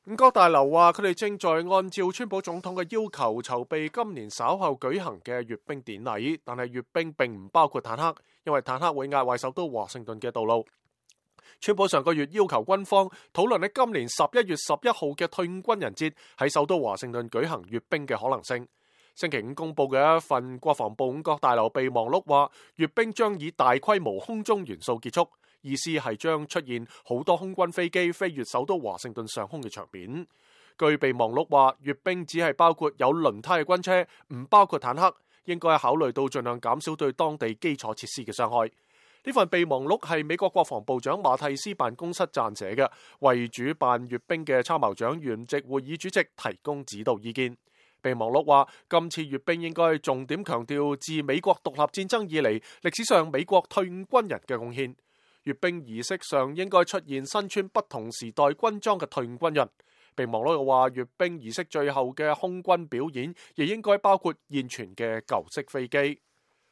五角大樓話佢哋正在按照川普總統嘅要求籌備今年稍後舉行嘅閱兵典禮，但係閱兵並唔包括坦克，因為坦克會壓壞首都華盛頓嘅道路。川普上個月要求軍方討論喺今年11月11號嘅退伍軍人節喺首都華盛頓舉行閱兵嘅可能性。星期五公布嘅一份國防部五角大樓備忘錄話，閱兵將以大規模空中元素結束，意思係將出現好多空軍飛機飛越首都華盛頓上空嘅場面。據備忘錄話，閱兵只係包括有輪胎嘅軍車，唔包括坦克，應該考慮到盡量減少對當地基礎設施嘅傷害。呢份備忘錄係美國國防部長馬蒂斯辦公室撰寫嘅，為主辦閱兵嘅參謀長聯席會議主席提供指導意見。備忘錄話，今次閱兵應該重點強調自美國獨立戰爭以嚟歷史上美國退伍軍人嘅貢獻。閱兵儀式上應該出現身穿不同時代軍裝嘅退伍軍人。備忘錄又話，閱兵儀式最後嘅空軍表演亦應該包括現存嘅舊式飛機。